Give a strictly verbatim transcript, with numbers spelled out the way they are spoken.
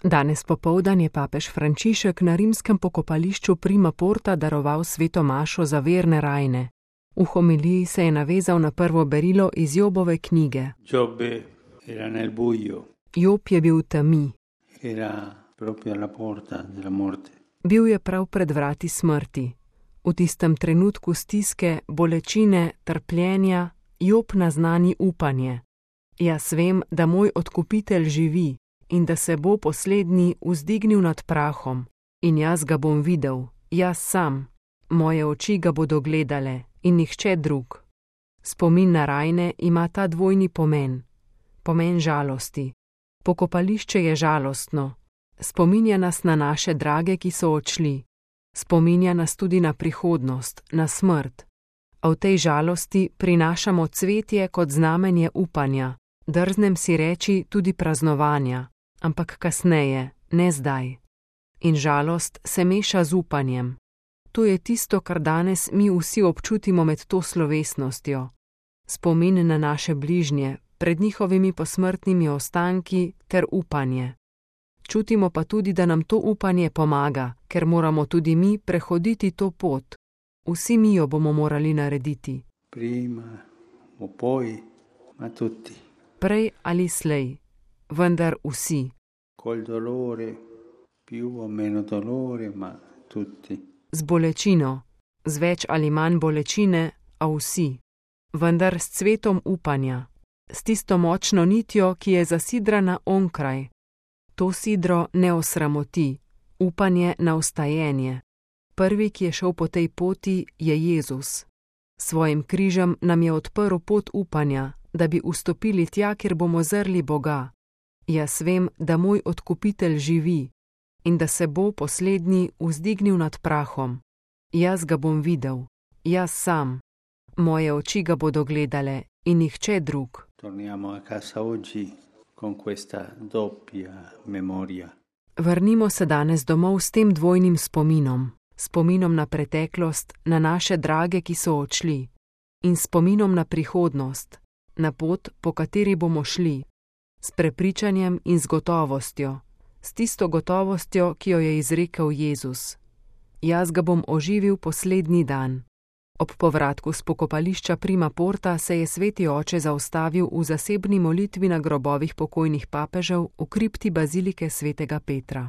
Danes popoldan je papež Frančišek na rimskem pokopališču Prima Porta daroval sveto mašo za verne rajne. V homiliji se je navezal na prvo berilo iz Jobove knjige. Giobbe era nel buio. Job je bil v temi. Era proprio alla porta della morte. Bil je prav pred vrati smrti. V tistem trenutku stiske, bolečine, trpljenja, Job naznani upanje. Jaz vem, da moj odkupitelj živi in da se bo poslednji vzdignil nad prahom. In jaz ga bom videl, jaz sam. Moje oči ga bodo gledale in nihče drug. Spomin na rajne ima ta dvojni pomen. Pomen žalosti. Pokopališče je žalostno. Spominja nas na naše drage, ki so odšli. Spominja nas tudi na prihodnost, na smrt. A v tej žalosti prinašamo cvetje kot znamenje upanja. Drznem si reči tudi praznovanja, ampak kasneje, ne zdaj. In žalost se meša z upanjem. To je tisto, kar danes mi vsi občutimo med to slovesnostjo. Spomin na naše bližnje, pred njihovimi posmrtnimi ostanki ter upanje. Čutimo pa tudi, da nam to upanje pomaga, ker moramo tudi mi prehoditi to pot. Vsi mi jo bomo morali narediti. Prima o poi, ma tutti. Prej ali slej, vendar vsi. Col dolore, più o meno dolore, ma tutti. Z bolečino, z več ali manj bolečine, a vsi. Vendar s cvetom upanja, s tisto močno nitjo, ki je zasidrana onkraj. To sidro ne osramoti, upanje na vstajenje. Prvi, ki je šel po tej poti, je Jezus. Svojim križem nam je odprl pot upanja, da bi vstopili tja, kjer bomo zrli Boga. Jaz vem, da moj odkupitelj živi in da se bo poslednji vzdignil nad prahom. Jaz ga bom videl, jaz sam. Moje oči ga bodo gledale in nihče drug. Torniamo a casa oggi con questa doppia memoria. Vrnimo se danes domov s tem dvojnim spominom. Spominom na preteklost, na naše drage, ki so odšli. In spominom na prihodnost, na pot, po kateri bomo šli. S prepričanjem in z gotovostjo. S tisto gotovostjo, ki jo je izrekel Jezus. Jaz ga bom oživil poslednji dan. Ob povratku s pokopališča Prima Porta se je sveti oče zaustavil v zasebni molitvi na grobovih pokojnih papežev v kripti bazilike svetega Petra.